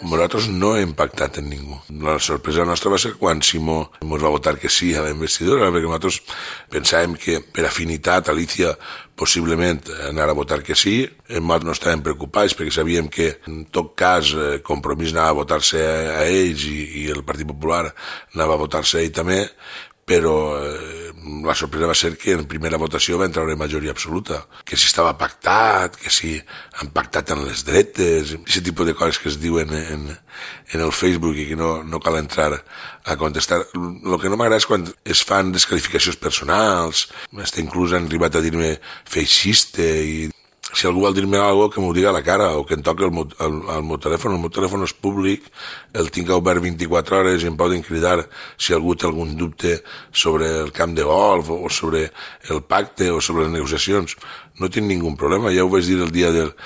Nosaltres no hem pactat amb ningú. La sorpresa nostra va ser quan Simó ens va votar que sí a la investidura, perquè nosaltres pensàvem que per afinitat Alicia possiblement anara a votar que sí. Nosaltres no estàvem preocupats perquè sabíem que en tot cas Compromís anava a votar-se a ells i el Partit Popular anava a votar-se a ell també, però la sorpresa va ser que en primera votació va entrar una majoria absoluta, que si estava pactat, que si han pactat en les dretes, aquest tipus de coses que es diuen en el Facebook i que no cal entrar a contestar. El que no m'agrada és quan es fan desqualificacions personals, inclús han arribat a dir-me feixista i si algú vol dir-me alguna cosa que m'ho diga a la cara o que em toqui el meu telèfon és públic, el tinc obert 24 hores i em poden cridar si algú té algun dubte sobre el camp de golf o sobre el pacte o sobre les negociacions. No tinc ningú problema, ja ho vaig dir el dia del